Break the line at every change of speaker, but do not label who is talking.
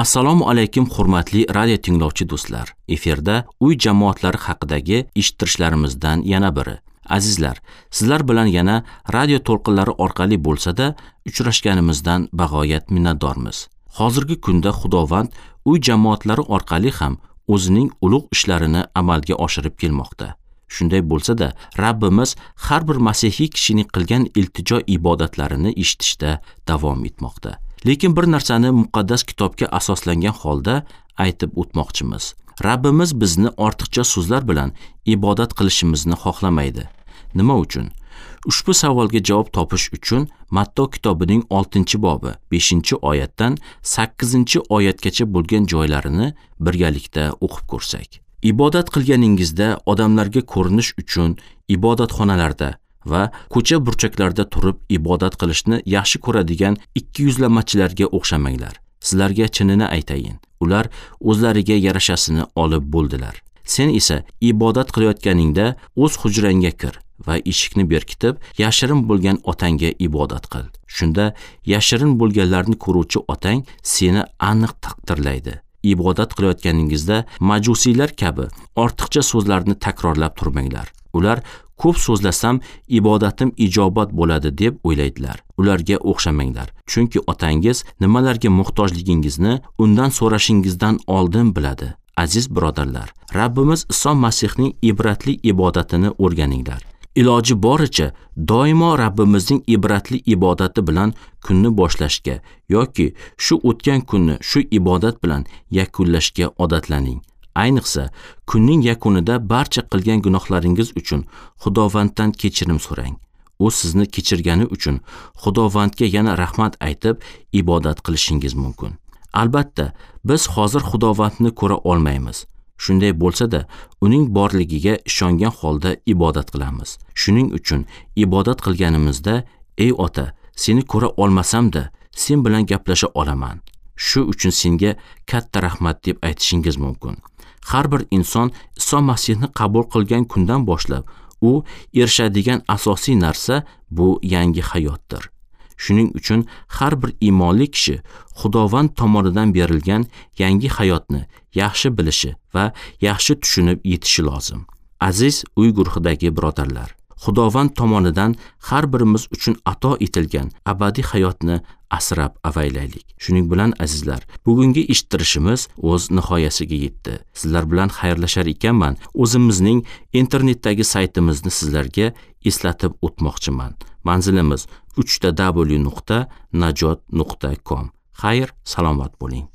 Assalomu alaykum, hurmatli radio tinglovchi do'stlar. Efirda uy jamoatlari haqidagi eshittirishlarimizdan yana biri. Azizlar, sizlar bilan yana radio to'lqinlari orqali bo'lsa-da uchrashganimizdan bag'oyat minnatdormiz. Hozirgi kunda Xudovand uy jamoatlari orqali ham o'zining ulug' ishlarini amalga oshirib kelmoqda. Shunday bo'lsa-da, Rabbimiz har bir masihiy kishining qilgan iltijo ibodatlarini eshitishda davom etmoqda. Lekin bir narsani muqaddas kitobga asoslangan holda aytib o'tmoqchimiz. Rabbimiz bizni ortiqcha so'zlar bilan ibodat qilishimizni xohlamaydi. Nima uchun? Ushbu savolga javob topish uchun Matto kitobining 6-bobi 5-oyatdan 8-oyatgacha bo'lgan joylarini birgalikda o'qib ko'rsak. Ibodat qilganingizda odamlarga ko'rinish uchun ibodatxonalarda va ko'cha burchaklarda turib ibodat qilishni yaxshi ko'radigan ikkiyuzlamachilarga o'xshamanglar. Sizlarga chinini aytayin, ular o'zlariga yarashasini olib bo'ldilar. Sen esa ibodat qilayotganingda o'z hujrangga kir va eshikni berkitib, yashirin bo'lgan otangga ibodat qil. Shunda yashirin bo'lganlarni ko'ruvchi otang seni aniq taqdirlaydi. Ibodat qilayotganingizda majusiylar kabi ortiqcha so'zlarni takrorlab turmanglar. Ular ko'p so'zlasam ibodatim ijobat bo'ladi deb o'ylaydilar. Ularga o'xshamanglar. Chunki otangiz nimalarga muhtojligingizni undan so'rashingizdan oldin biladi. Aziz birodarlar, Rabbimiz Iso Masihning ibratli ibodatini o'rganinglar. Iloji boricha doimo Rabbimizning ibratli ibodati bilan kunni boshlashga yoki shu o'tgan kunni shu ibodat bilan yakunlashga odatlaning. Ayniqsa, kunning yakunida barcha qilgan gunohlaringiz uchun Xudovanddan kechirim so'rang. U sizni kechirgani uchun Xudovandga yana rahmat aytib ibodat qilishingiz mumkin. Albatta, biz hozir Xudovandni ko'ra olmaymiz. Shunday bo'lsa-da, uning borligiga ishongan holda ibodat qilamiz. Shuning uchun ibodat qilganimizda, ey ota, seni ko'ra olmasam-da, sen bilan gaplasha olaman. Shu uchun senga katta rahmat deb aytishingiz mumkin. Har bir inson Iso Masihni qabul qilgan kundan boshlab u erishadigan asosiy narsa bu yangi hayotdir. Shuning uchun har bir iymonli kishi Xudovand tomonidan berilgan yangi hayotni yaxshi bilishi va yaxshi tushunib yetishi lozim. Aziz uy guruhidagi birodarlar, Xudovand tomonidan har birimiz uchun ato etilgan abadiy hayotni asrab avaylaylik. Shuning bilan azizlar, bugungi eshittirishimiz o'z nihoyasiga yetdi. Sizlar bilan xayrlashar ekanman, o'zimizning internetdagi saytimizni sizlarga eslatib o'tmoqchiman. Manzilimiz www.najot.com. Xayr, salomat bo'ling.